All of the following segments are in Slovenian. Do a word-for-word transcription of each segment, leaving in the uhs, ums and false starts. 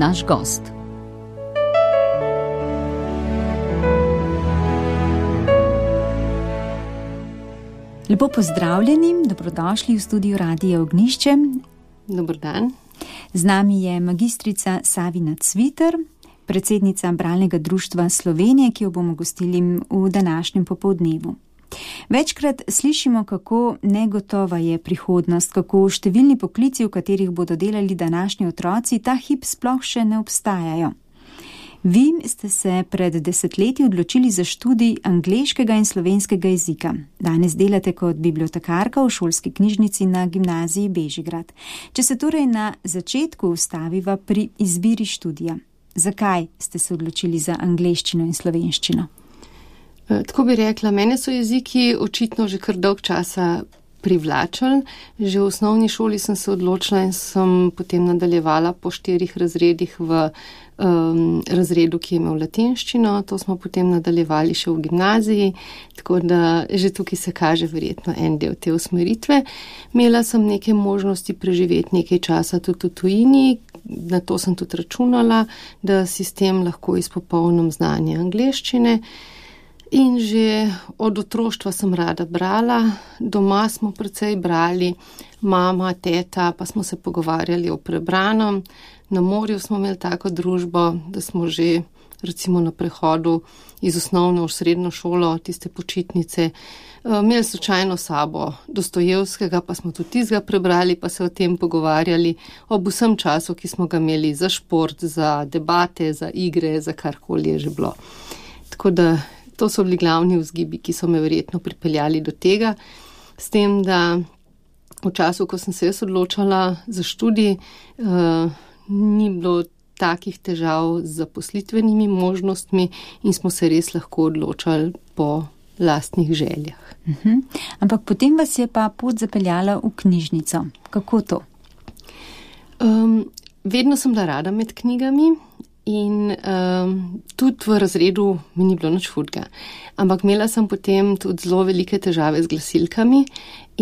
naš gost. Lepo pozdravljeni, dobrodošli v studiu Radia Ognjišče. Dober dan. Z nami je magistrica Savina Cviter, predsednica Bralnega društva Slovenije, ki jo bomo gostili v današnjem popoldnevu. Večkrat slišimo, kako negotova je prihodnost, kako številni poklici, v katerih bodo delali današnji otroci, ta hip sploh še ne obstajajo. Vi ste se pred desetletji odločili za študij angleškega in slovenskega jezika. Danes delate kot bibliotekarka v šolski knjižnici na gimnaziji Bežigrad. Če se torej na začetku ustaviva pri izbiri študija, zakaj ste se odločili za angleščino in slovenščino? Tako bi rekla, mene so jeziki očitno že kar dolg časa privlačili. Že v osnovni šoli sem se odločila in sem potem nadaljevala po štirih razredih v um, razredu, ki je imel latinščino. To smo potem nadaljevali še v gimnaziji, tako da že tukaj se kaže verjetno en del te usmeritve. Imela sem neke možnosti preživeti nekaj časa tudi v tujini. Na to sem tudi računala, da sistem lahko izpopolnim znanje angleščine. In že od otroštva sem rada brala, doma smo precej brali, mama, teta, pa smo se pogovarjali o prebranem. Na morju smo imeli tako družbo, da smo že recimo na prehodu iz osnovne v srednjo šolo, tiste počitnice, imeli slučajno sabo Dostojevskega, pa smo tudi tistega prebrali, pa se o tem pogovarjali ob vsem času, ki smo ga imeli za šport, za debate, za igre, za karkoli je že bilo. Tako da to so bili glavni vzgibi, ki so me verjetno pripeljali do tega, s tem, da v času, ko sem se jaz odločala za študij, uh, ni bilo takih težav z zaposlitvenimi možnostmi in smo se res lahko odločali po lastnih željah. Uh-huh. Ampak potem vas je pa pot zapeljala v knjižnico. Kako to? Um, vedno sem bila rada med knjigami. In um, tudi v razredu mi ni bilo nič hudega. Ampak imela sem potem tudi zelo velike težave z glasilkami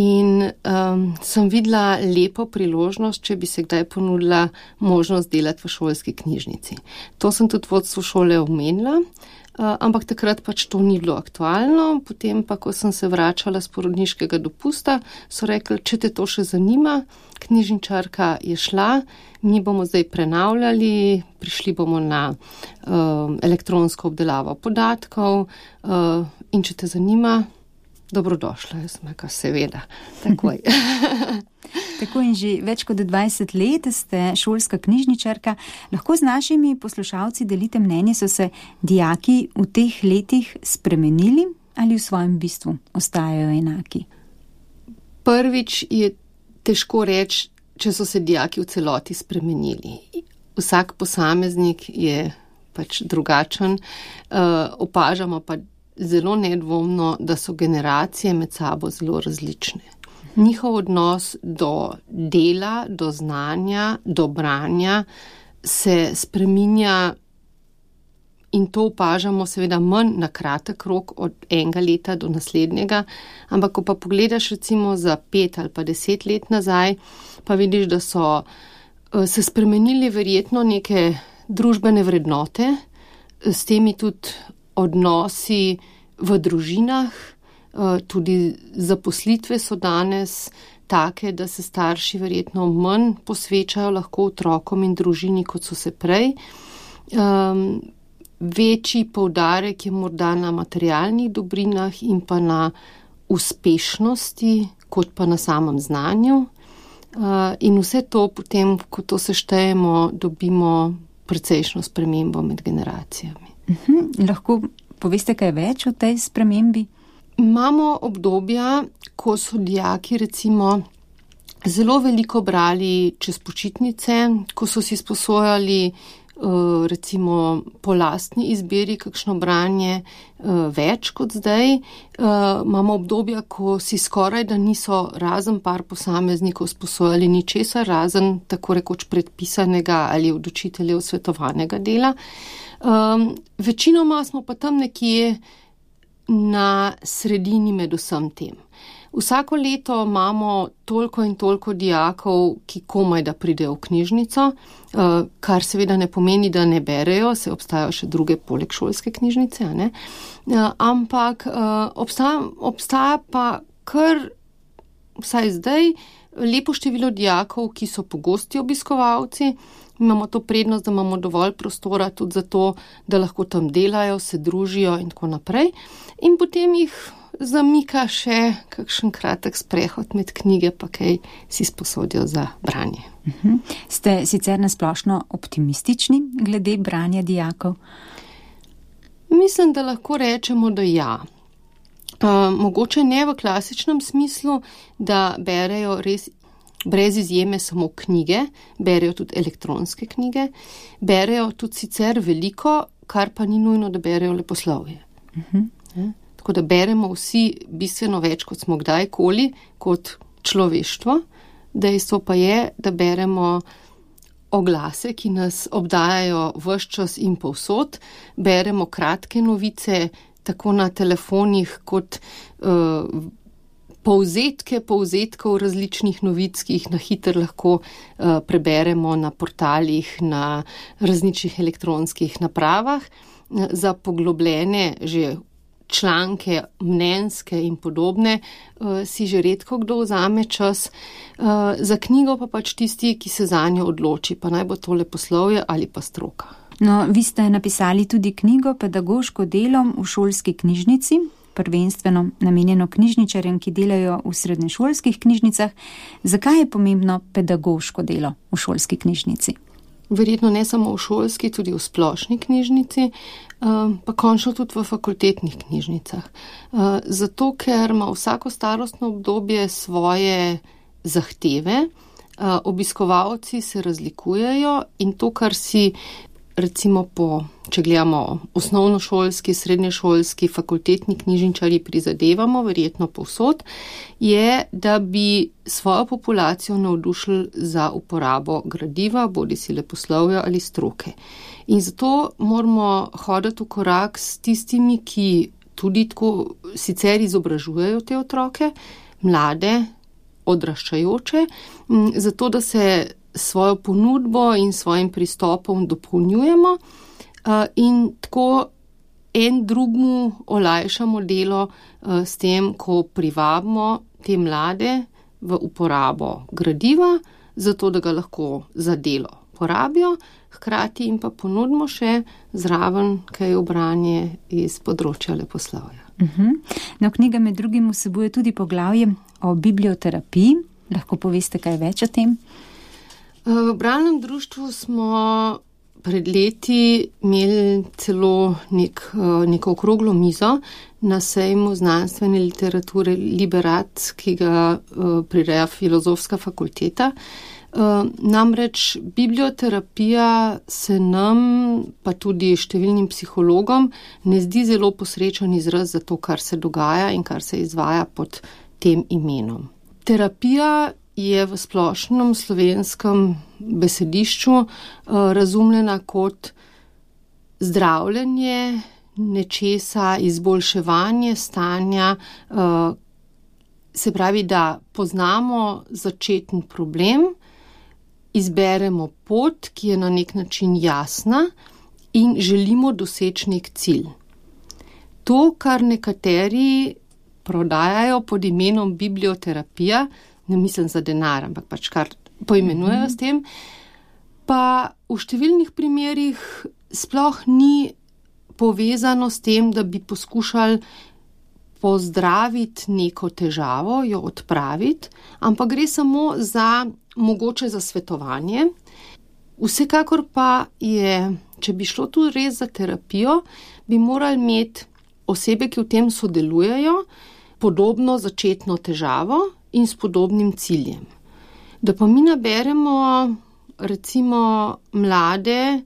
in um, sem videla lepo priložnost, če bi se kdaj ponudila možnost delati v šolski knjižnici. To sem tudi vodstvu šole omenila, uh, ampak takrat pač to ni bilo aktualno. Potem pa, ko sem se vračala z porodniškega dopusta, so rekli, če te to še zanima, knjižničarka je šla, mi bomo zdaj prenavljali, prišli bomo na uh, elektronsko obdelavo podatkov uh, in če te zanima, dobrodošla. Jaz sem rekla, seveda, takoj. Tako in že več kot dvajset let ste šolska knjižničarka. Lahko z našimi poslušalci delite mnenje, so se dijaki v teh letih spremenili ali v svojem bistvu ostajajo enaki? Prvič je težko reči, če so se dijaki v celoti spremenili. Vsak posameznik je pač drugačen, uh, opažamo pa zelo nedvomno, da so generacije med sabo zelo različne. Njihov odnos do dela, do znanja, do branja se spreminja in to opažamo seveda manj na kratek rok od enega leta do naslednjega, ampak ko pa pogledaš recimo za pet ali pa deset let nazaj, pa vidiš, da so se spremenili verjetno neke družbene vrednote, s temi tudi odnosi v družinah, tudi zaposlitve so danes take, da se starši verjetno manj posvečajo lahko otrokom in družini, kot so se prej. Um, Večji poudarek je morda na materialnih dobrinah in pa na uspešnosti, kot pa na samem znanju. In vse to potem, ko to seštejemo, dobimo precejšno spremembo med generacijami. Uhum, lahko poveste kaj več o tej spremembi? Imamo obdobja, ko so dijaki recimo zelo veliko brali čez počitnice, ko so si sposojali recimo po lastni izbiri kakšno branje več kot zdaj. Imamo obdobja, ko si skoraj da niso razen par posameznikov sposojali ničesar, razen tako rekoč predpisanega ali od učiteljev svetovanega dela. Večinoma smo pa tam nekje na sredini med vsem tem. Vsako leto imamo toliko in toliko dijakov, ki komaj da pridejo v knjižnico, kar seveda ne pomeni, da ne berejo, se obstajajo še druge poleg šolske knjižnice, ne? Ampak obstaja, obstaja pa kar, vsaj zdaj, lepo število dijakov, ki so pogosti obiskovalci. Imamo to prednost, da imamo dovolj prostora tudi za to, da lahko tam delajo, se družijo in tako naprej. In potem jih zamika še kakšen kratek sprehod med knjige, pa kaj si sposodijo za branje. Uh-huh. Ste sicer nasplošno optimistični glede branja dijakov? Mislim, da lahko rečemo, da ja. Uh, mogoče ne v klasičnem smislu, da berejo res brez izjeme samo knjige, berejo tudi elektronske knjige, berejo tudi sicer veliko, kar pa ni nujno, da berejo leposlovje. Uh-huh. Ja? Tako da beremo vsi bistveno več, kot smo kdajkoli, kot človeštvo. Dejstvo pa je, da beremo oglase, ki nas obdajajo ves čas in povsod, beremo kratke novice, tako na telefonih, kot uh, povzetke povzetkov različnih novic, ki jih na hitro lahko uh, preberemo na portalih, na različnih elektronskih napravah. Za poglobljene že članke, mnenjske in podobne, uh, si že redko kdo vzame čas. Uh, za knjigo pa pač tisti, ki se zanjo odloči, pa naj bo to leposlovje ali pa stroka. No, vi ste napisali tudi knjigo Pedagoško delo v šolski knjižnici, prvenstveno namenjeno knjižničarjem, ki delajo v srednješolskih knjižnicah. Zakaj je pomembno pedagoško delo v šolski knjižnici? Verjetno ne samo v šolski, tudi v splošni knjižnici, pa končno tudi v fakultetnih knjižnicah. Zato, ker ima vsako starostno obdobje svoje zahteve, obiskovalci se razlikujejo in to, kar si recimo po, če gledamo osnovnošolski, srednješolski, fakultetni knjižničarji prizadevamo, verjetno povsod, je, da bi svojo populacijo navdušili za uporabo gradiva, bodisi leposlovja ali stroke. In zato moramo hoditi v korak s tistimi, ki tudi tako sicer izobražujejo te otroke, mlade, odraščajoče, zato da se svojo ponudbo in svojim pristopom dopolnjujemo in tako en drugmu olajšamo delo s tem, ko privabimo te mlade v uporabo gradiva, zato da ga lahko za delo porabijo, hkrati jim pa ponudimo še zraven kaj obranje iz področja leposlovja. Uh-huh. No, knjiga med drugim vsebuje tudi poglavje o biblioterapiji. Lahko poveste kaj več o tem? V bralnem društvu smo pred leti imeli celo nek, neko okroglo mizo na sejmu znanstvene literature Liberat, ki ga prireja Filozofska fakulteta. Namreč biblioterapija se nam, pa tudi številnim psihologom, ne zdi zelo posrečen izraz za to, kar se dogaja in kar se izvaja pod tem imenom. Terapija je v splošnem slovenskem besedišču uh, razumljena kot zdravljenje nečesa, izboljševanje stanja, uh, se pravi, da poznamo začetni problem, izberemo pot, ki je na nek način jasna in želimo doseči nek cilj. To, kar nekateri prodajajo pod imenom biblioterapija, ne mislim za denar, ampak pač kar poimenujejo s tem, pa v številnih primerih sploh ni povezano s tem, da bi poskušali pozdraviti neko težavo, jo odpraviti, ampak gre samo za mogoče za svetovanje. Vsekakor pa je, če bi šlo tu res za terapijo, bi morali imeti osebe, ki v tem sodelujejo, podobno začetno težavo in s podobnim ciljem. Da pa mi naberemo recimo mlade,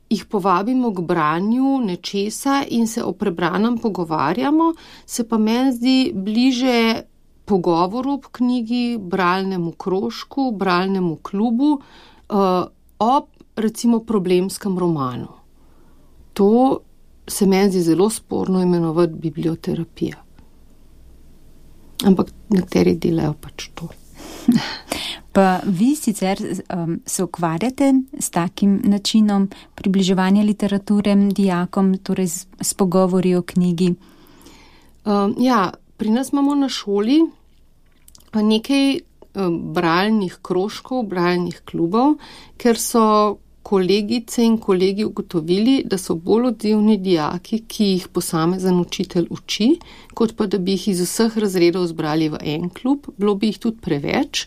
jih povabimo k branju nečesa in se o prebranem pogovarjamo, se pa meni zdi bliže pogovoru ob knjigi, bralnemu krožku, bralnemu klubu, ob recimo problemskem romanu. To se meni zdi zelo sporno imenovati biblioterapija. ampak nekateri delajo pač to. Pa vi sicer um, se ukvarjate s takim načinom približevanja literature dijakom, torej s, s pogovori o knjigi? Um, ja, pri nas imamo na šoli nekaj um, bralnih krožkov, bralnih klubov, ker so kolegice in kolegi ugotovili, da so bolj odzivni dijaki, ki jih posamezen učitelj uči, kot pa da bi jih iz vseh razredov zbrali v en klub. Bilo bi jih tudi preveč,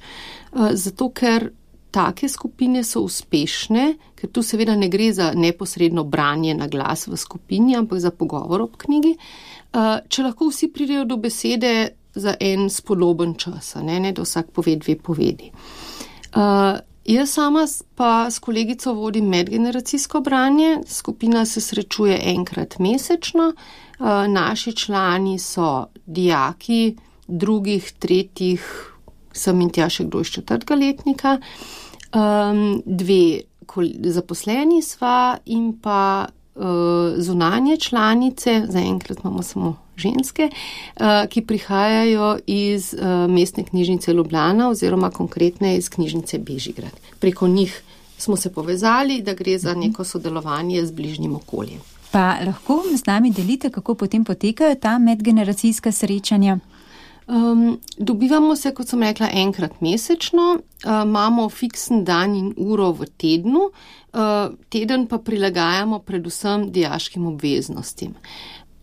zato ker take skupine so uspešne, ker tu seveda ne gre za neposredno branje na glas v skupini, ampak za pogovor ob knjigi. Če lahko vsi pridejo do besede za en spodoben čas, ne, ne da vsak pove dve povedi. Jaz sama pa s kolegico vodim medgeneracijsko branje, skupina se srečuje enkrat mesečno, naši člani so dijaki drugih, tretjih, sem in tja še kdo iz četrtega letnika, dve zaposleni sva in pa zunanje članice, zaenkrat imamo samo ženske, ki prihajajo iz mestne knjižnice Ljubljana oziroma konkretne iz knjižnice Bežigrad. Preko njih smo se povezali, da gre za neko sodelovanje z bližnjim okoljem. Pa lahko z nami delite, kako potem potekajo ta medgeneracijska srečanja? Um, dobivamo se, kot sem rekla, enkrat mesečno, uh, imamo fiksen dan in uro v tednu, uh, teden pa prilagajamo predvsem dijaškim obveznostim.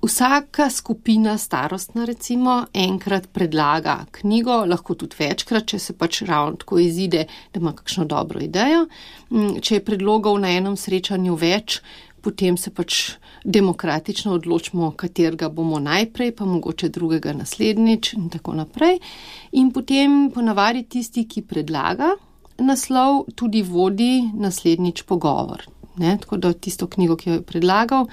Vsaka skupina starostna recimo enkrat predlaga knjigo, lahko tudi večkrat, če se pač ravno tako izide, da ima kakšno dobro idejo. Če je predlogov na enem srečanju več, potem se pač demokratično odločimo, katerega bomo najprej, pa mogoče drugega naslednjič in tako naprej. In potem ponavadi tisti, ki predlaga naslov, tudi vodi naslednjič pogovor. Ne? Tako da tisto knjigo, ki jo je predlagal,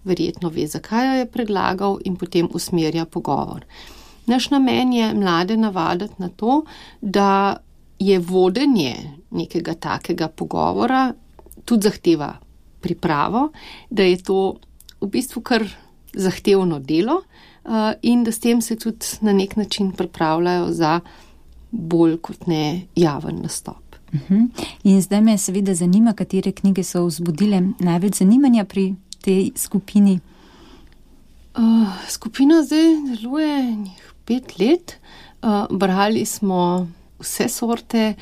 verjetno ve, zakaj jo je predlagal in potem usmerja pogovor. Naš namen je mlade navaditi na to, da je vodenje nekega takega pogovora tudi zahteva pripravo, da je to v bistvu kar zahtevno delo uh, in da s tem se tudi na nek način pripravljajo za bolj kot ne javen nastop. Uh-huh. In zdaj me seveda zanima, katere knjige so vzbudile največ zanimanja pri tej skupini. Uh, skupina zdaj deluje pet let. Uh, brali smo vse sorte,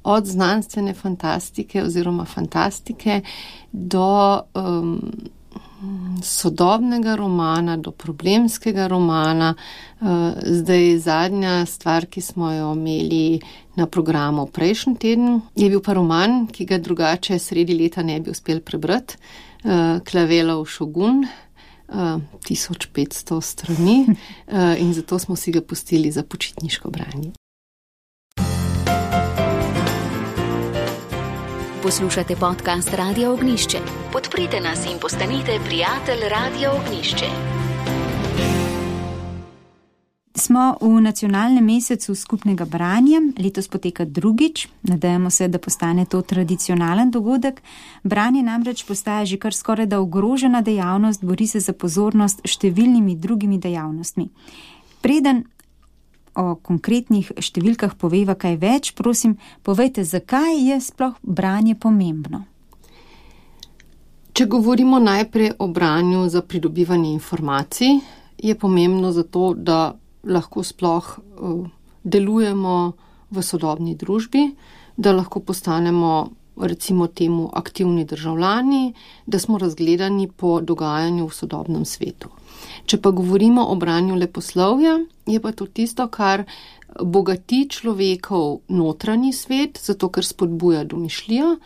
od znanstvene fantastike oziroma fantastike do um, sodobnega romana, do problemskega romana. Uh, zdaj zadnja stvar, ki smo jo imeli na programu prejšnji teden, je bil pa roman, ki ga drugače sredi leta ne bi uspel prebrati. Uh, Klavelov Šogun, uh, tisoč petsto strani uh, in zato smo si ga pustili za počitniško branje. Poslušate podcast Radia Ognjišče. Podprite nas in postanite prijatelj Radia Ognjišče. Smo v nacionalnem mesecu skupnega branja, letos poteka drugič, nadejamo se, da postane to tradicionalen dogodek. Branje namreč postaja že kar skoraj da ogrožena dejavnost, bori se za pozornost številnimi drugimi dejavnostmi. Preden o konkretnih številkah poveva kaj več, prosim, povejte, zakaj je sploh branje pomembno? Če govorimo najprej o branju za pridobivanje informacij, je pomembno zato, da lahko sploh uh, delujemo v sodobni družbi, da lahko postanemo recimo temu aktivni državljani, da smo razgledani po dogajanju v sodobnem svetu. Če pa govorimo o branju leposlovja, je pa to tisto, kar bogati človekov notranji svet, zato ker spodbuja domišljijo,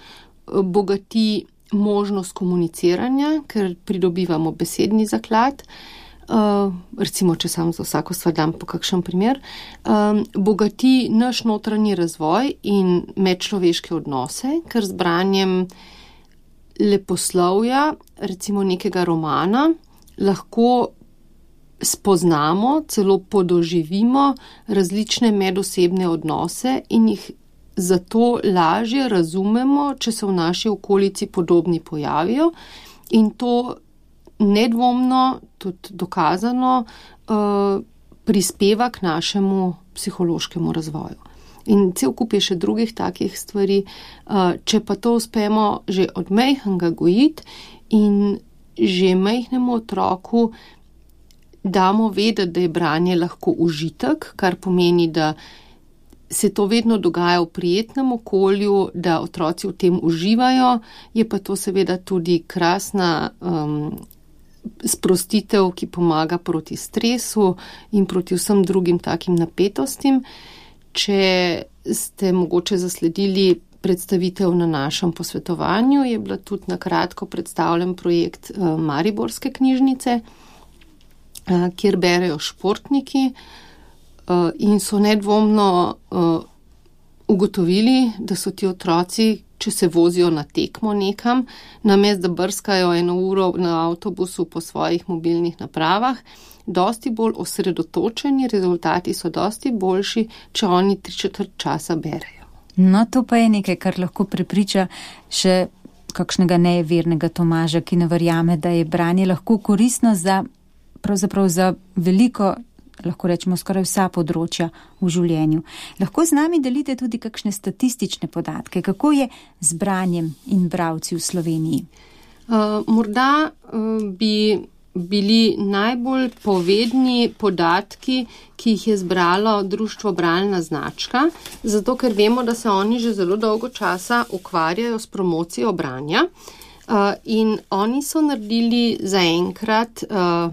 bogati možnost komuniciranja, ker pridobivamo besedni zaklad, uh, recimo, če sam za vsako stvar dam po kakšen primer, um, bogati naš notranji razvoj in medčloveške odnose, ker z branjem leposlovja, recimo nekega romana, lahko spoznamo, celo podoživimo različne medosebne odnose in jih zato lažje razumemo, če se v naši okolici podobni pojavijo, in to nedvomno, tudi dokazano, prispeva k našemu psihološkemu razvoju. In cel kup je še drugih takih stvari. Če pa to uspemo že od majhnega gojiti in že majhnemu otroku damo vedeti, da je branje lahko užitek, kar pomeni, da se to vedno dogaja v prijetnem okolju, da otroci v tem uživajo, je pa to seveda tudi krasna um, sprostitev, ki pomaga proti stresu in proti vsem drugim takim napetostim. Če ste mogoče zasledili predstavitev na našem posvetovanju, je bila tudi na kratko predstavljen projekt uh, Mariborske knjižnice, uh, kjer berejo športniki uh, in so nedvomno uh, ugotovili, da so ti otroci, če se vozijo na tekmo nekam, namesto da brskajo eno uro na avtobusu po svojih mobilnih napravah, dosti bolj osredotočeni, rezultati so dosti boljši, če oni tri četrt časa berejo. No, to pa je nekaj, kar lahko prepriča še kakšnega nevernega Tomaža, ki ne verjame, da je branje lahko koristno za, pravzaprav za veliko, lahko rečemo skoraj vsa področja v življenju. Lahko z nami delite tudi kakšne statistične podatke, kako je z branjem in bralci v Sloveniji? Uh, morda uh, bi bili najbolj povedni podatki, ki jih je zbralo društvo Bralna značka, zato ker vemo, da se oni že zelo dolgo časa ukvarjajo s promocijo branja uh, in oni so naredili zaenkrat uh,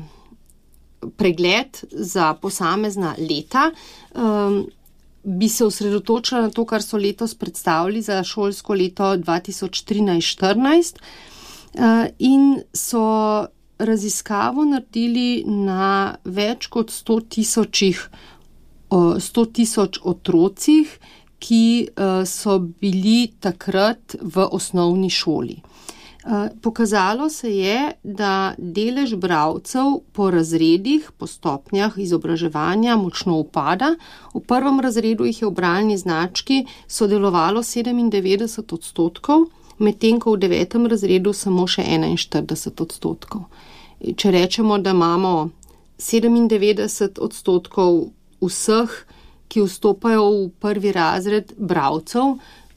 pregled za posamezna leta. Um, bi se osredotočila na to, kar so letos predstavili za šolsko leto dva tisoč trinajst štirinajst uh, in so raziskavo naredili na več kot sto tisočih, sto tisoč otrocih, ki so bili takrat v osnovni šoli. Pokazalo se je, da delež bralcev po razredih, po stopnjah izobraževanja močno upada. V prvem razredu jih je v bralni znački sodelovalo sedemindevetdeset odstotkov, medtem ko v devetem razredu samo še enainštirideset odstotkov. Če rečemo, da imamo sedemindevetdeset odstotkov vseh, ki vstopajo v prvi razred bralcev,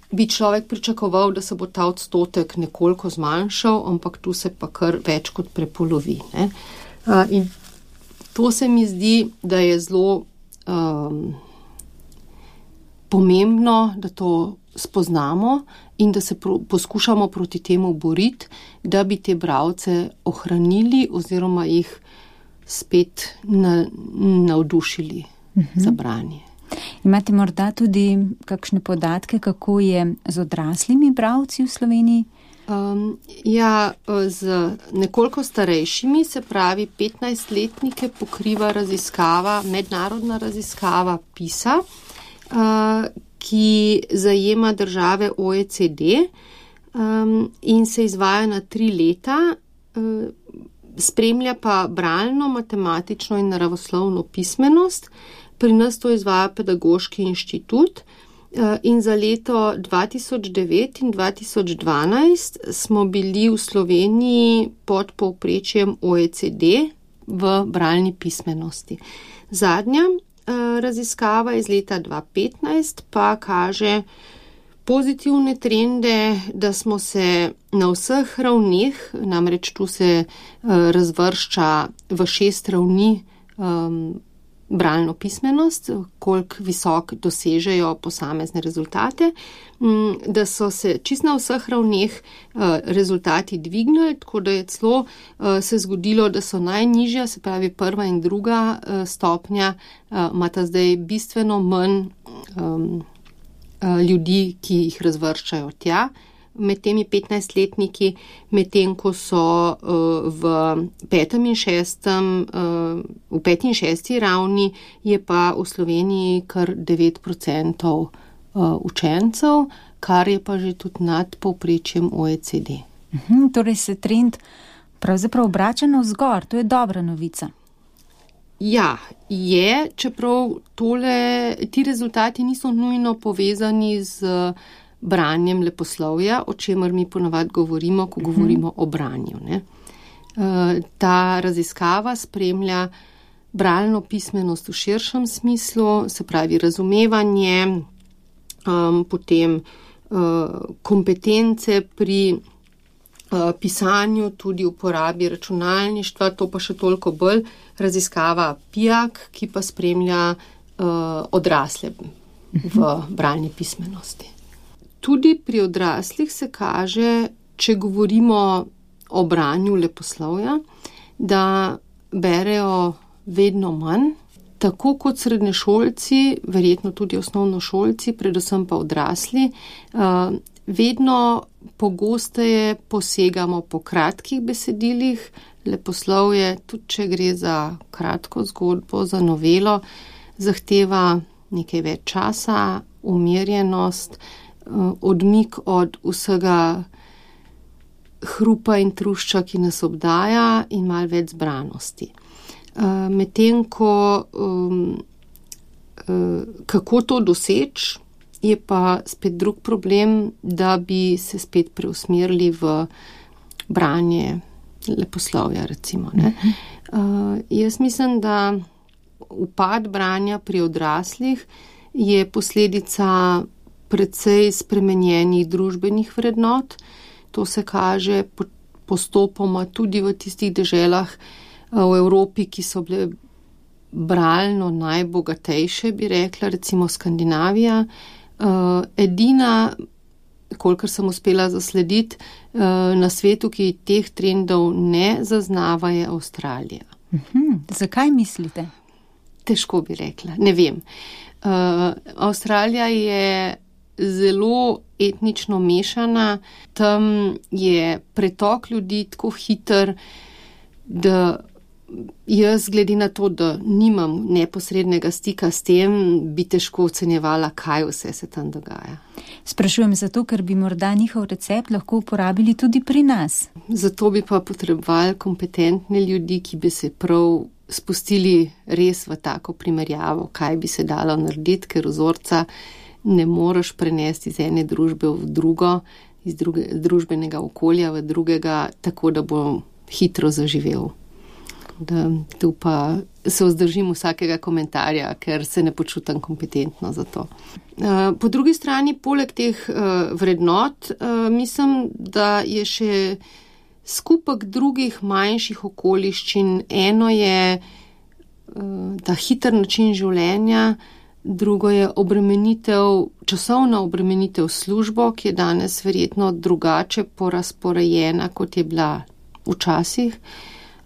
bi človek pričakoval, da se bo ta odstotek nekoliko zmanjšal, ampak tu se pa kar več kot prepolovi. Ne? In to se mi zdi, da je zelo um, pomembno, da to spoznamo in da se pro, poskušamo proti temu boriti, da bi te bralce ohranili oziroma jih spet na, navdušili uh-huh. za branje. Imate morda tudi kakšne podatke, kako je z odraslimi bralci v Sloveniji? Um, ja, z nekoliko starejšimi, se pravi petnajstletnike, pokriva raziskava, mednarodna raziskava PISA, uh, ki zajema države O E C D um, in se izvaja na tri leta, uh, spremlja pa bralno, matematično in naravoslovno pismenost. Pri nas to izvaja Pedagoški inštitut uh, in za leto dva tisoč devet in dva tisoč dvanajst smo bili v Sloveniji pod povprečjem O E C D v bralni pismenosti. Zadnja raziskava iz leta dva tisoč petnajst pa kaže pozitivne trende, da smo se na vseh ravneh, namreč tu se uh, razvršča v šest ravni um, bralno pismenost, koliko visok dosežejo posamezne rezultate, um, da so se čist na vseh ravneh uh, rezultati dvignili, tako da je celo uh, se zgodilo, da so najnižja, se pravi prva in druga uh, stopnja, uh, imata zdaj bistveno manj um, uh, ljudi, ki jih razvrščajo tja, med temi petnajstletniki, medtem ko so uh, v petem in šestem, uh, v peti in šesti ravni je pa v Sloveniji kar devet procentov uh, učencev, kar je pa že tudi nad povprečjem O E C D. Mhm, torej se trend pravzaprav obrača navzgor, to je dobra novica. Ja, je, čeprav tole, ti rezultati niso nujno povezani z branjem leposlovja, o čemer mi ponavadi govorimo, ko govorimo o branju. Ne? Ta raziskava spremlja bralno pismenost v širšem smislu, se pravi razumevanje, um, potem uh, kompetence pri uh, pisanju, tudi uporabi računalništva, to pa še toliko bolj raziskava Pijak, ki pa spremlja uh, odrasle v bralni pismenosti. Tudi pri odraslih se kaže, če govorimo o branju leposlovja, da berejo vedno manj, tako kot srednješolci, verjetno tudi osnovnošolci, predvsem pa odrasli, vedno pogosteje posegamo po kratkih besedilih. Leposlovje, tudi če gre za kratko zgodbo, za novelo, zahteva nekaj več časa, umirjenost, odmik od vsega hrupa in trušča, ki nas obdaja, in malo več zbranosti. Medtem ko um, kako to doseči, je pa spet drug problem, da bi se spet preusmerili v branje leposlovja, recimo. Ne? Uh, jaz mislim, da upad branja pri odraslih je posledica precej spremenjenih družbenih vrednot. To se kaže postopoma tudi v tistih deželah v Evropi, ki so bile bralno najbogatejše, bi rekla, recimo Skandinavija. Edina, kolikor sem uspela zaslediti, na svetu, ki teh trendov ne zaznava, je Avstralija. Uhum, zakaj mislite? Težko bi rekla, ne vem. Avstralija je zelo etnično mešana, tam je pretok ljudi tako hiter, da jaz, glede na to, da nimam neposrednega stika s tem, bi težko ocenjevala, kaj vse se tam dogaja. Sprašujem zato, ker bi morda njihov recept lahko uporabili tudi pri nas. Zato bi pa potrebovali kompetentne ljudi, ki bi se prav spustili res v tako primerjavo, kaj bi se dalo narediti, ker vzorca ne moreš prenesti iz ene družbe v drugo, iz druge, družbenega okolja v drugega, tako da bo hitro zaživel. Da tu pa se vzdržim vsakega komentarja, ker se ne počutam kompetentno za to. Po drugi strani, poleg teh vrednot, mislim, da je še skupek drugih manjših okoliščin. Eno je ta hiter način življenja, drugo je obremenitev, časovna obremenitev službo, ki je danes verjetno drugače porazporejena, kot je bila včasih.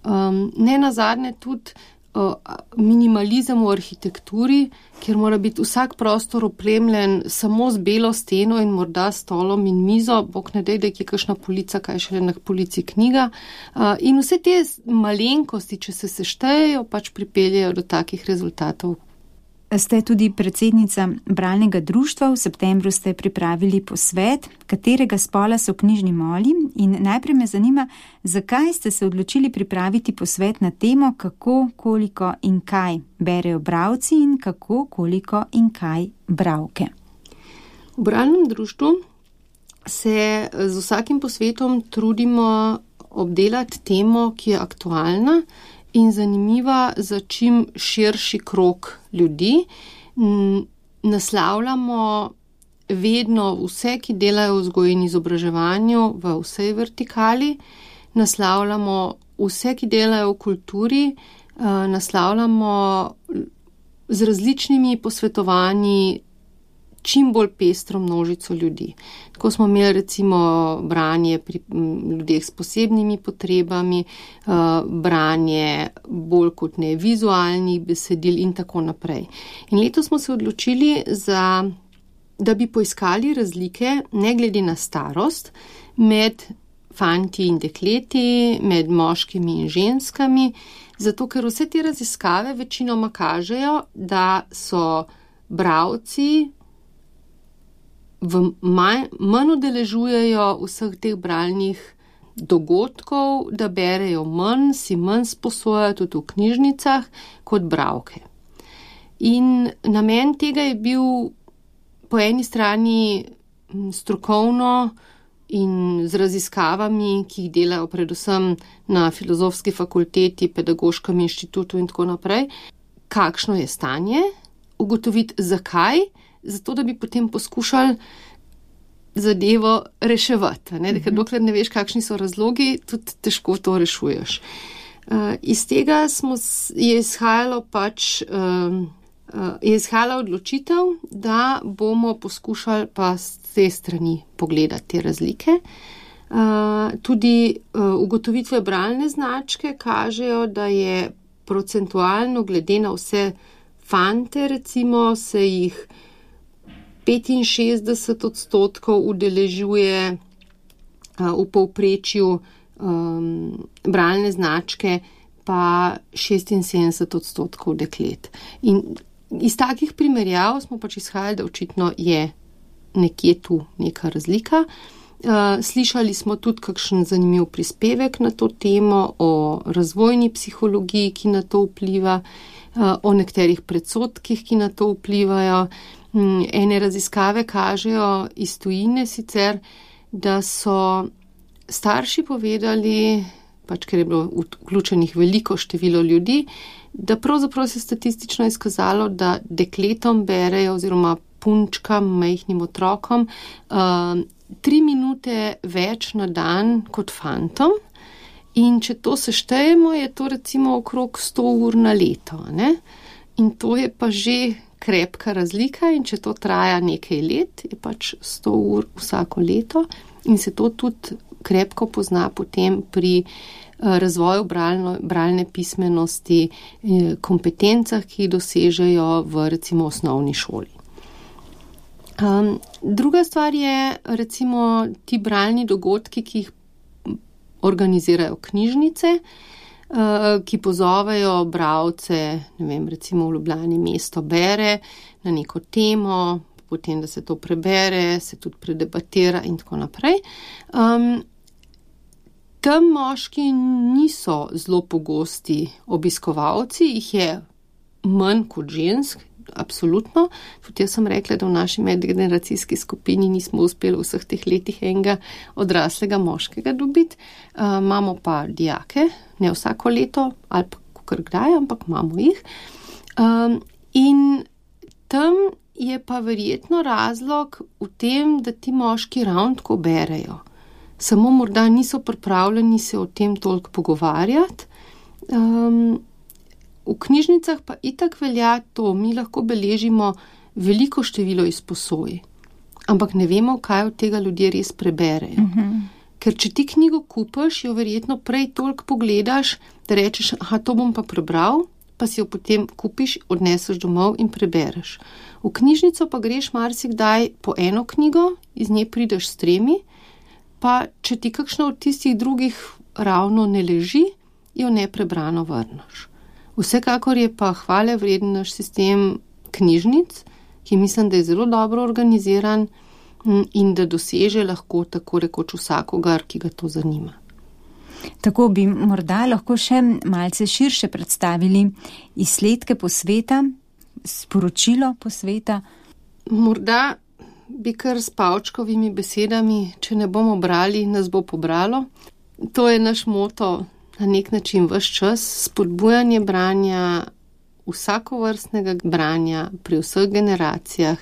Um, ne nazadnje tudi uh, minimalizem v arhitekturi, kjer mora biti vsak prostor opremljen samo z belo steno in morda stolom in mizo, bog ne dej, da je kakšna polica, kaj šele na polici knjiga. Uh, in vse te malenkosti, če se seštejejo, pač pripeljejo do takih rezultatov. Ste tudi predsednica bralnega društva, v septembru ste pripravili posvet, katerega spola so knjižni moli, in najprej me zanima, zakaj ste se odločili pripraviti posvet na temo, kako, koliko in kaj berejo bralci in kako, koliko in kaj bralke. V bralnem društvu se z vsakim posvetom trudimo obdelati temo, ki je aktualna in zanimiva za čim širši krog ljudi. Naslavljamo vedno vse, ki delajo v vzgoji in izobraževanju v vsej vertikali, naslavljamo vse, ki delajo v kulturi, naslavljamo z različnimi posvetovanji čim bolj pestro množico ljudi. Tako smo imeli recimo branje pri ljudeh s posebnimi potrebami, branje bolj kot ne vizualnih besedil in tako naprej. In letos smo se odločili, za, da bi poiskali razlike, ne glede na starost, med fanti in dekleti, med moškimi in ženskami, zato ker vse te raziskave večinoma kažejo, da so bralci v manj, manj udeležujejo vseh teh bralnih dogodkov, da berejo manj, si manj sposojajo tudi v knjižnicah kot bralke. In namen tega je bil po eni strani strokovno in z raziskavami, ki jih delajo predvsem na Filozofski fakulteti, Pedagoškem inštitutu in tako naprej, kakšno je stanje, ugotoviti zakaj, zato da bi potem poskušali zadevo reševati. Ne? Ker dokler ne veš, kakšni so razlogi, tudi težko to rešuješ. Uh, iz tega smo, je izhajalo pač, uh, uh, je izhajala odločitev, da bomo poskušali pa s te strani pogledati te razlike. Uh, tudi uh, ugotovitve bralne značke kažejo, da je procentualno glede na vse fante, recimo, se jih petinšestdeset odstotkov udeležuje uh, v povprečju um, bralne značke, pa šestinsedemdeset odstotkov deklet. In iz takih primerjav smo pač izhajali, da očitno je nekje tu neka razlika. Uh, slišali smo tudi kakšen zanimiv prispevek na to temo o razvojni psihologiji, ki na to vpliva, uh, o nekaterih predsodkih, ki na to vplivajo. Um, ene raziskave kažejo iz tujine sicer, da so starši povedali, pač ker je bilo vključenih veliko število ljudi, da pravzaprav se statistično izkazalo, da dekletom berejo oziroma punčkam, majhnim otrokom, uh, tri minute več na dan kot fantom. In če to seštejemo, je to recimo okrog sto ur na leto. Ne? In to je pa že krepka razlika in če to traja nekaj let, je pač sto ur vsako leto in se to tudi krepko pozna potem pri razvoju bralno, bralne pismenosti, kompetencah, ki jih dosežejo v recimo osnovni šoli. Um, druga stvar je recimo ti bralni dogodki, ki jih organizirajo knjižnice, uh, ki pozovejo bralce, ne vem, recimo v Ljubljani mesto bere na neko temo, potem, da se to prebere, se tudi predebatira in tako naprej. Um, tam moški niso zelo pogosti obiskovalci, jih je manj kot žensk, absolutno. Tudi jaz sem rekla, da v naši medgeneracijski skupini nismo uspeli v vseh teh letih enega odraslega moškega dobiti. Uh, imamo pa dijake, ne vsako leto, ali pa kakor kdaj, ampak imamo jih. Um, in tam je pa verjetno razlog v tem, da ti moški ravno tako berejo. Samo morda niso pripravljeni se o tem toliko pogovarjati. Um, v knjižnicah pa itak velja to, mi lahko beležimo veliko število izposoj, ampak ne vemo, kaj od tega ljudje res preberejo. Uh-huh. Ker če ti knjigo kupaš, jo verjetno prej toliko pogledaš, da rečeš, aha, to bom pa prebral, pa si jo potem kupiš, odneseš domov in prebereš. V knjižnico pa greš marsikdaj po eno knjigo, iz nje prideš s tremi, pa če ti kakšna od tistih drugih ravno ne leži, jo neprebrano vrneš. Vsekakor je pa hvale vreden naš sistem knjižnic, ki mislim, da je zelo dobro organiziran in da doseže lahko tako rekoč vsakogar, ki ga to zanima. Tako bi morda lahko še malce širše predstavili izsledke posveta, sporočilo posveta. Morda bi kar s Pavčkovimi besedami, če ne bomo brali, nas bo pobralo. To je naš moto na nek način ves čas, spodbujanje branja, vsakovrstnega branja pri vseh generacijah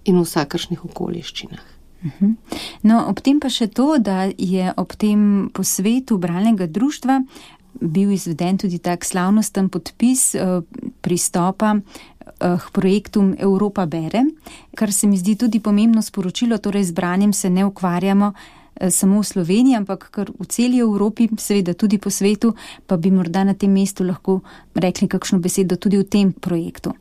in vsakršnih okoliščinah. No, ob tem pa še to, da je ob tem posvetu bralnega društva bil izveden tudi tak slavnosten podpis pristopa k projektu Evropa bere, kar se mi zdi tudi pomembno sporočilo, torej z branjem se ne ukvarjamo samo v Sloveniji, ampak kar v celi Evropi, seveda tudi po svetu, pa bi morda na tem mestu lahko rekli kakšno besedo tudi v tem projektu.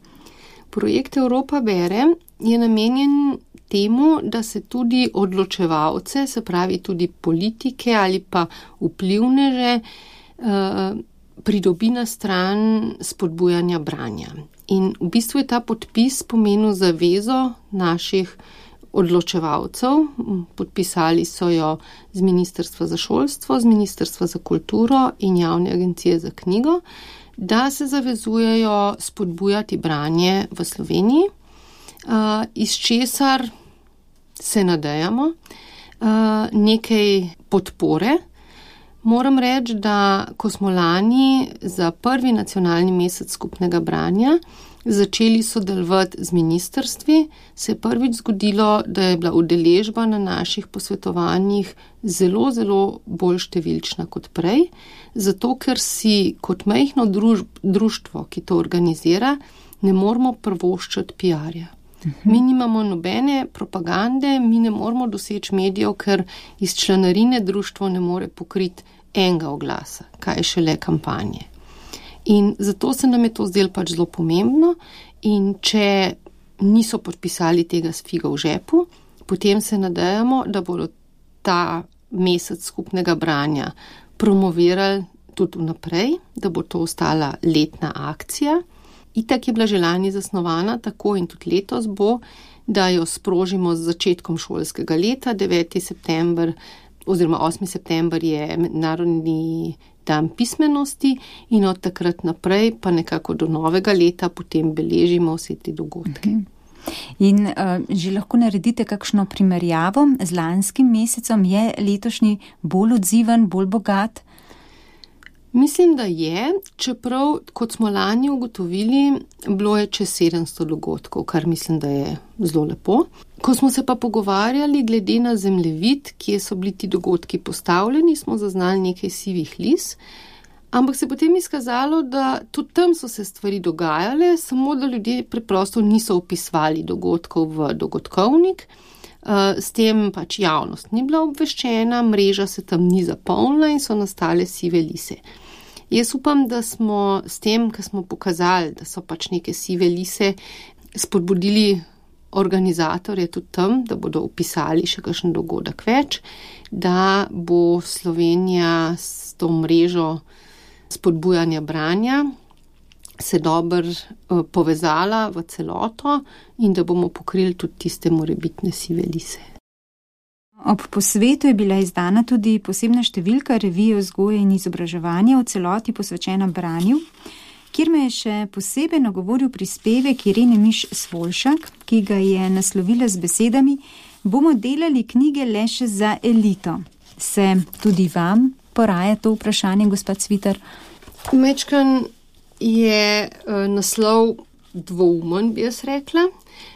Projekt Evropa bere je namenjen temu, da se tudi odločevalce, se pravi tudi politike ali pa vplivneže, pridobi na stran spodbujanja branja. In v bistvu je ta podpis pomenil zavezo naših odločevalcev, podpisali so jo z Ministrstva za šolstvo, z Ministrstva za kulturo in Javne agencije za knjigo, da se zavezujejo spodbujati branje v Sloveniji, iz česar se nadejamo, uh, nekaj podpore. Moram reči, da ko smo lani za prvi nacionalni mesec skupnega branja začeli sodelovati z ministrstvi, se je prvič zgodilo, da je bila udeležba na naših posvetovanjih zelo, zelo bolj številčna kot prej, zato ker si kot majhno družb, društvo, ki to organizira, ne moramo prvoščati P R-ja. Mi nimamo nobene propagande, mi ne moramo doseči medijev, ker iz članarine društvo ne more pokriti enega oglasa, kaj je šele kampanje. In zato se nam je to zdelo pač zelo pomembno in če niso podpisali tega s figo v žepu, potem se nadejamo, da bodo ta mesec skupnega branja promovirali tudi vnaprej, da bo to ostala letna akcija. Itak je bila že lani zasnovana, tako in tudi letos bo, da jo sprožimo z začetkom šolskega leta, deveti september oziroma osmi september je mednarodni dan pismenosti in od takrat naprej pa nekako do novega leta potem beležimo vse te dogodke. In uh, že lahko naredite kakšno primerjavo z lanskim mesecem? Je letošnji bolj odziven, bolj bogat? Mislim, da je, čeprav, kot smo lani ugotovili, bilo je čez sedemsto dogodkov, kar mislim, da je zelo lepo. Ko smo se pa pogovarjali glede na zemljevid, kje so bili ti dogodki postavljeni, smo zaznali nekaj sivih lis, ampak se potem izkazalo, da tudi tam so se stvari dogajale, samo da ljudje preprosto niso vpisvali dogodkov v dogodkovnik. S tem pač javnost ni bila obveščena, mreža se tam ni zapolnila in so nastale sive lise. Jaz upam, da smo s tem, ko smo pokazali, da so pač neke sive lise, spodbudili organizatorje tudi tam, da bodo upisali še kakšen dogodek več, da bo Slovenija s to mrežo spodbujanja branja se dobro povezala v celoto in da bomo pokrili tudi tiste morebitne sive lise. Ob posvetu je bila izdana tudi posebna številka revije Vzgoje in izobraževanja v celoti posvečena branju, kjer me je še posebej nagovoril prispevek Irene Miš Svoljšak, ki ga je naslovila z besedami: bomo delali knjige le še za elito. Se tudi vam poraja to vprašanje, gospod Cvitar? Mečkan je uh, naslov dvoumen, bi jaz rekla.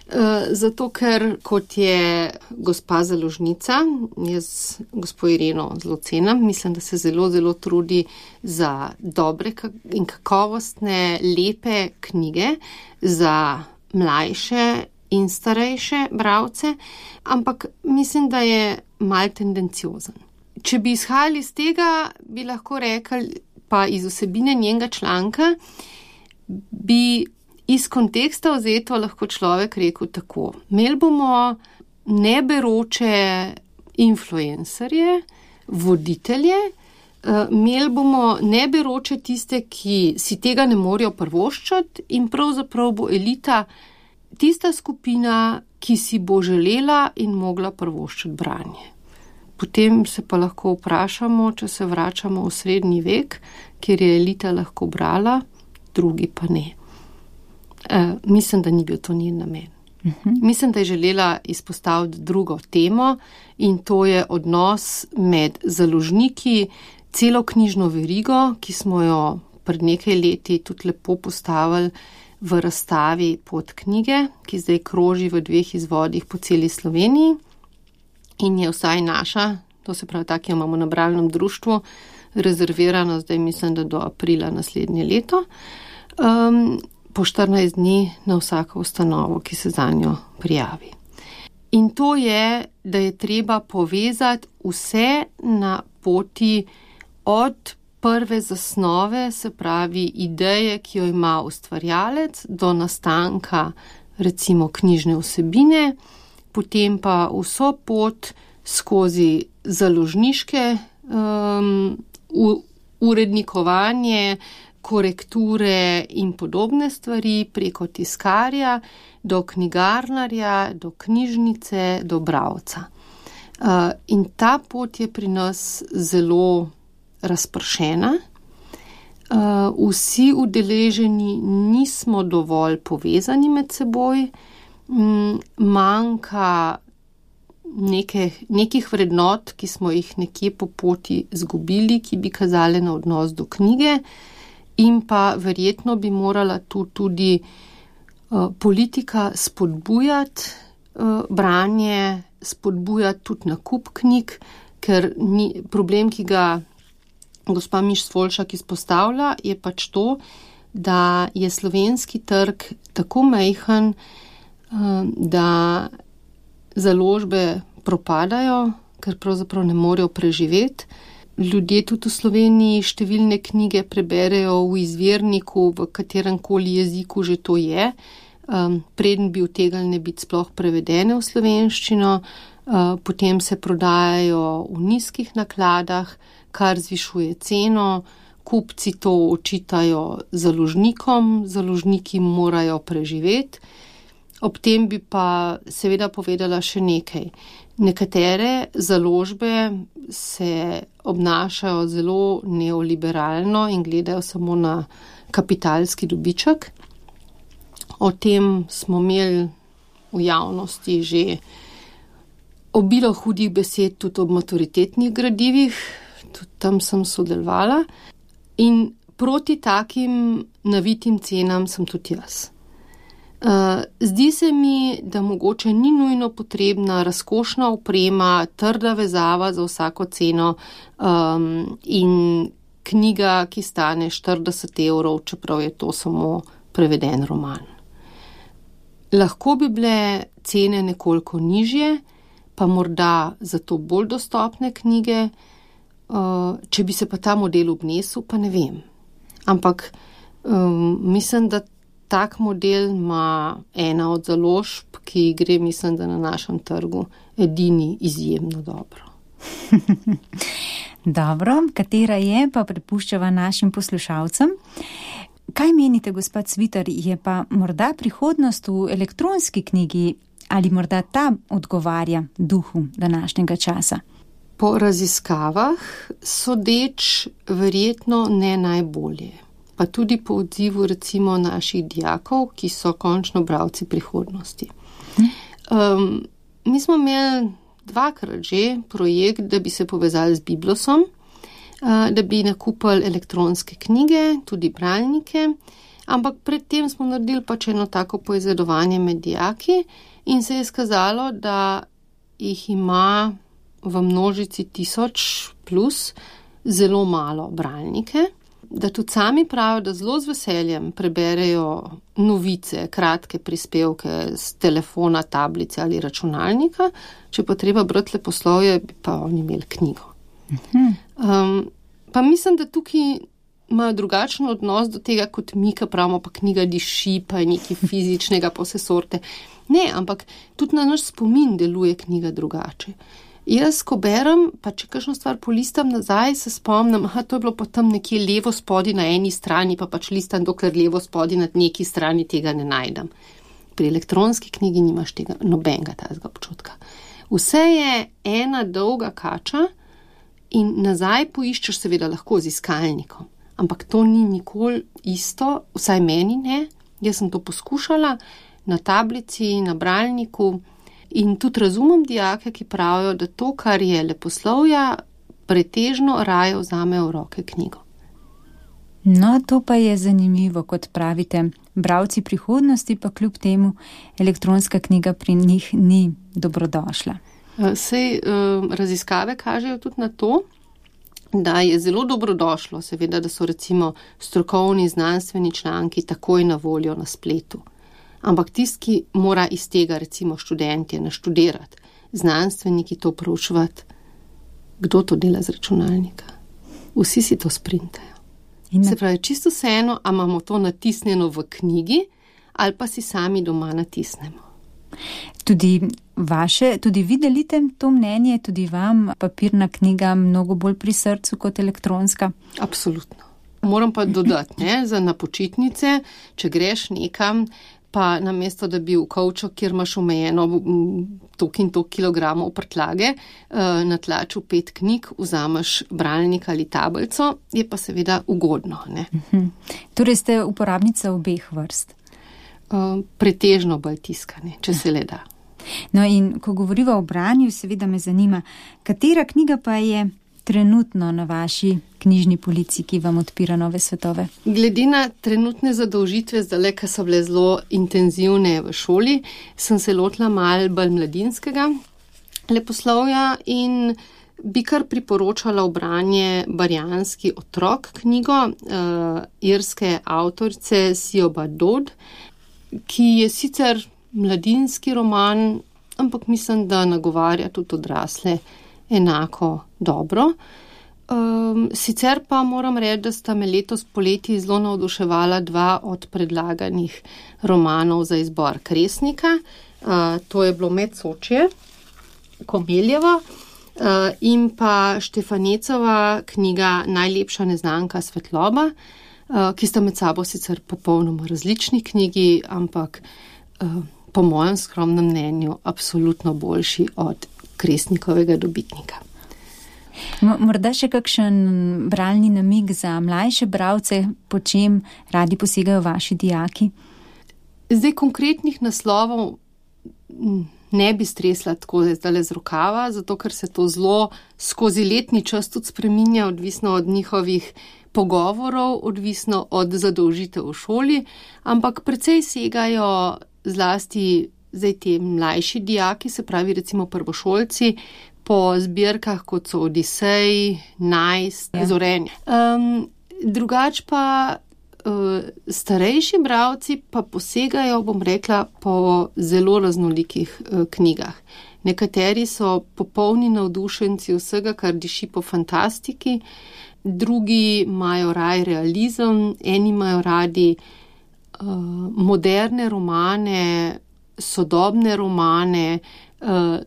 Uh, zato, ker kot je gospa založnica, jaz gospo Ireno zelo cenim, mislim, da se zelo, zelo trudi za dobre in kakovostne, lepe knjige za mlajše in starejše bralce, ampak mislim, da je mal tendenciozen. Če bi izhajali iz tega, bi lahko rekli, pa iz vsebine njenega članka, bi iz konteksta vzeto lahko človek rekel tako: imeli bomo neberoče influencerje, voditelje, imeli bomo neberoče tiste, ki si tega ne morejo prvoščati, in pravzaprav bo elita tista skupina, ki si bo želela in mogla prvoščati branje. Potem se pa lahko vprašamo, če se vračamo v srednji vek, kjer je elita lahko brala, drugi pa ne. E, mislim, da ni bil to njen namen. Uh-huh. Mislim, da je želela izpostaviti drugo temo in to je odnos med založniki, celo knjižno verigo, ki smo jo pred nekaj leti tudi lepo postavili v razstavi Pot knjige, ki zdaj kroži v dveh izvodih po celi Sloveniji in je vsaj naša, to se pravi tak, ki jo imamo na bralnem društvu, rezervirana zdaj mislim, da do aprila naslednje leto. Um, po štirinajst dni na vsako ustanovo, ki se zanjo prijavi. In to je, da je treba povezati vse na poti od prve zasnove, se pravi ideje, ki jo ima ustvarjalec, do nastanka recimo knjižne vsebine, potem pa vso pot skozi založniške um, urednikovanje, korekture in podobne stvari preko tiskarja, do knjigarnarja, do knjižnice, do bralca. Uh, in ta pot je pri nas zelo razpršena. Uh, vsi udeleženi nismo dovolj povezani med seboj, um, manjka neke, nekih vrednot, ki smo jih nekje po poti zgubili, ki bi kazale na odnos do knjige, in pa verjetno bi morala tu tudi uh, politika spodbujati uh, branje, spodbujati tudi nakup knjig, ker ni, problem, ki ga gospa Miš-Svoljšak izpostavlja, je pač to, da je slovenski trg tako majhen, uh, da založbe propadajo, ker pravzaprav ne morejo preživeti. Ljudje tudi v Sloveniji številne knjige preberejo v izvirniku, v katerem koli jeziku že to je, um, preden bi utegnile biti sploh prevedene v slovenščino, uh, potem se prodajajo v nizkih nakladah, kar zvišuje ceno, kupci to očitajo založnikom, založniki morajo preživeti. Ob tem bi pa seveda povedala še nekaj. Nekatere založbe se obnašajo zelo neoliberalno in gledajo samo na kapitalski dobiček. O tem smo imeli v javnosti že obilo hudih besed tudi ob maturitetnih gradivih, tudi tam sem sodelovala. In proti takim navitim cenam sem tudi jaz. Uh, zdi se mi, da mogoče ni nujno potrebna razkošna oprema, trda vezava za vsako ceno um, in knjiga, ki stane štirideset evrov, čeprav je to samo preveden roman. Lahko bi bile cene nekoliko nižje, pa morda zato bolj dostopne knjige, uh, če bi se pa ta model obnesel, pa ne vem. Ampak um, mislim, da tak model ima ena od založb, ki gre, mislim, da na našem trgu edini izjemno dobro. Dobro, katera je, pa prepuščava našim poslušalcem. Kaj menite, gospod Cvitar, je pa morda prihodnost v elektronski knjigi ali morda ta odgovarja duhu današnjega časa? Po raziskavah sodeč verjetno ne najbolje. Pa tudi po odzivu recimo naših dijakov, ki so končno bralci prihodnosti. Um, mi smo imeli dvakrat že projekt, da bi se povezali z Biblosom, uh, da bi nakupili elektronske knjige, tudi bralnike, ampak predtem smo naredili pač eno tako poizvedovanje med dijaki in se je skazalo, da jih ima v množici tisoč plus zelo malo bralnike, da tudi sami pravijo, da zelo z veseljem preberejo novice, kratke prispevke z telefona, tablice ali računalnika, če pa treba brati leposlovje, bi pa oni imeli knjigo. Um, pa mislim, da tukaj imajo drugačen odnos do tega, kot mi, ki pravimo, pa knjiga diši, pa je nekaj fizičnega, pa vse sorte. Ne, ampak tudi na naš spomin deluje knjiga drugače. Jaz, ko berem, pa če kakšno stvar polistam nazaj, se spomnim, aha, to je bilo pa tam nekje levo spodi na eni strani, pa pač listam, dokler levo spodi na neki strani tega ne najdem. Pri elektronski knjigi nimaš tega nobenega tazga občutka. Vse je ena dolga kača in nazaj poiščeš seveda lahko z iskalnikom. Ampak to ni nikoli isto, vsaj meni ne. Jaz sem to poskušala na tablici, na bralniku. In tudi razumem dijake, ki pravijo, da to, kar je leposlovja, pretežno raje vzame v roke knjigo. No, to pa je zanimivo, kot pravite. Bralci prihodnosti pa kljub temu elektronska knjiga pri njih ni dobrodošla. Sej raziskave kažejo tudi na to, da je zelo dobrodošlo, seveda, da so recimo strokovni znanstveni članki takoj na voljo na spletu. Ampak tisti, ki mora iz tega recimo študentje naštudirati, znanstveniki to proučevati, kdo to dela z računalnika? Vsi si to sprintajo. Se pravi, čisto vseeno, a imamo to natisnjeno v knjigi ali pa si sami doma natisnemo. Tudi vaše, tudi vi delite to mnenje, tudi vam papirna knjiga mnogo bolj pri srcu kot elektronska? Absolutno. Moram pa dodati, ne, za na počitnice, če greš nekam, pa namesto, da bi v kovčo, kjer imaš omejeno toliko in toliko kilogramov prtljage, na tlaču pet knjig, vzameš bralnik ali tablico, je pa seveda ugodno. Ne? Torej ste uporabnica obeh vrst? Pretežno bolj tiskane, če se le da. No in ko govoriva o branju, seveda me zanima, katera knjiga pa je trenutno na vaši knjižni polici, ki vam odpira nove svetove? Glede na trenutne zadolžitve, zdaj, ki so bile zelo intenzivne v šoli, sem se lotila malo bolj mladinskega leposlovja in bi kar priporočala v branje Barjanski otrok knjigo uh, irske avtorice Siobha Dodd, ki je sicer mladinski roman, ampak mislim, da nagovarja tudi odrasle enako dobro. Um, sicer pa moram reči, da sta me letos poleti zelo navduševala dva od predlaganih romanov za izbor Kresnika. Uh, to je bilo Medsočje, Komeljevo, uh, in pa Štefanecova knjiga Najlepša neznanka svetloba, uh, ki sta med sabo sicer popolnoma različni knjigi, ampak uh, po mojem skromnem mnenju absolutno boljši od Kresnikovega dobitnika. Morda še kakšen bralni namig za mlajše bralce, po čem radi posegajo vaši dijaki? Zdaj konkretnih naslovov ne bi stresla tako zdaj z rokava, zato ker se to zelo skozi letni čas tudi spreminja, odvisno od njihovih pogovorov, odvisno od zadolžitev v šoli, ampak precej segajo zlasti zdaj te mlajši dijaki, se pravi recimo prvošolci, po zbirkah, kot so Odisej, Najst, ja. Zorenje. Um, drugač pa uh, starejši bralci pa posegajo, bom rekla, po zelo raznolikih uh, knjigah. Nekateri so popolni navdušenci vsega, kar diši po fantastiki, drugi imajo raj realizem, eni imajo radi uh, moderne romane, sodobne romane, uh,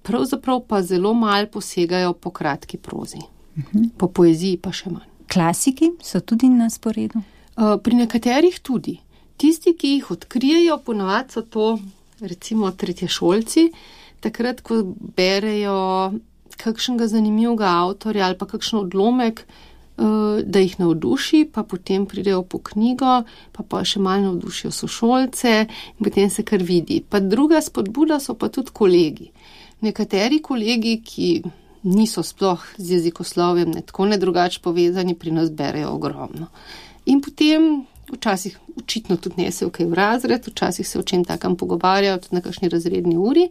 pravzaprav pa zelo malo posegajo po kratki prozi. Uh-huh. Po poeziji pa še manj. Klasiki so tudi na sporedu? Uh, pri nekaterih tudi. Tisti, ki jih odkrijejo, ponavadi so to recimo tretješolci, takrat, ko berejo kakšnega zanimivega avtorja ali pa kakšen odlomek, uh, da jih navduši, pa potem pridejo po knjigo, pa pa še malo navdušijo sošolce in potem se kar vidi. Pa druga spodbuda so pa tudi kolegi. Nekateri kolegi, ki niso sploh z jezikoslovjem ne tako ne drugače povezani, pri nas berejo ogromno. In potem včasih očitno tudi nesejo kaj v razred, včasih se o čem takam pogovarjajo, tudi na kakšni razredni uri.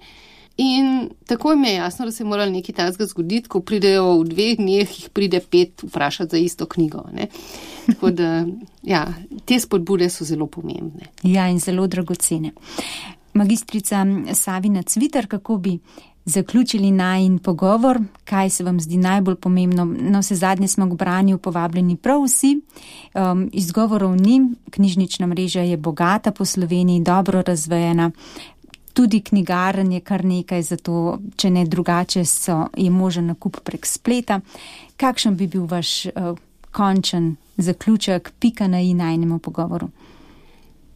In tako mi je jasno, da se je moralo nekaj takega zgoditi, ko pridejo v dveh dneh, jih pride pet vprašati za isto knjigo. Ne? Tako da, ja, te spodbude so zelo pomembne. Ja, in zelo dragocene. Magistrica Savina Cvitar, kako bi zaključili najin pogovor, kaj se vam zdi najbolj pomembno? Na vse zadnje smo k branju povabljeni prav vsi, um, izgovorov ni, knjižnična mreža je bogata po Sloveniji, dobro razvejena, tudi knjigarn je kar nekaj, zato če ne drugače so, je možen nakup prek spleta. Kakšen bi bil vaš uh, končen zaključek, pika na i najnemu pogovoru?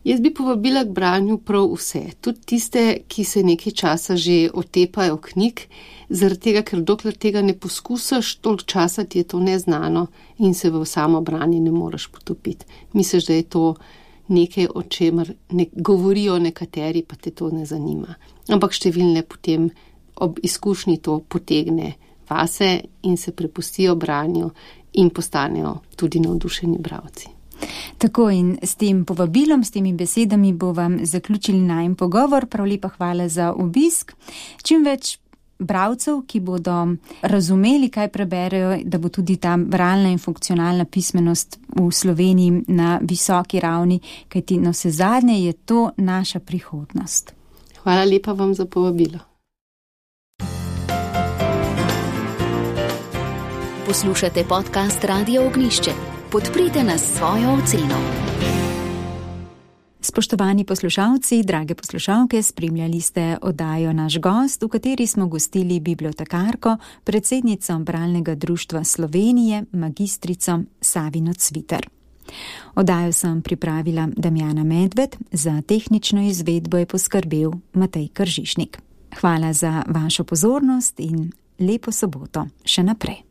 Jaz bi povabila k branju prav vse, tudi tiste, ki se nekaj časa že otepajo knjig, zaradi tega, ker dokler tega ne poskusaš, toliko časa ti je to neznano in se v samo branje ne moreš potopiti. Misliš, da je to nekaj, o čemer ne govorijo nekateri, pa te to ne zanima. Ampak številne potem ob izkušnji to potegne vase in se prepustijo branju in postanejo tudi navdušeni bralci. Tako in s tem povabilom, s temi besedami bo vam zaključili najin pogovor. Prav lepa hvala za obisk. Čim več bralcev, ki bodo razumeli, kaj preberejo, da bo tudi ta bralna in funkcionalna pismenost v Sloveniji na visoki ravni, kajti na vse zadnje je to naša prihodnost. Hvala lepa vam za povabilo. Poslušate podcast Radio Ognjišče. Podprite nas s svojo oceno. Spoštovani poslušalci, drage poslušalke, spremljali ste oddajo Naš gost, v kateri smo gostili bibliotekarko, predsednico Bralnega društva Slovenije, magistrico Savino Cvitar. Oddajo sem pripravila Damjana Medved, za tehnično izvedbo je poskrbel Matej Kržišnik. Hvala za vašo pozornost in lepo soboto še naprej.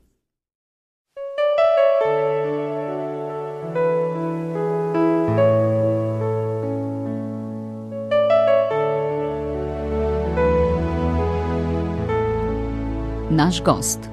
naš gost.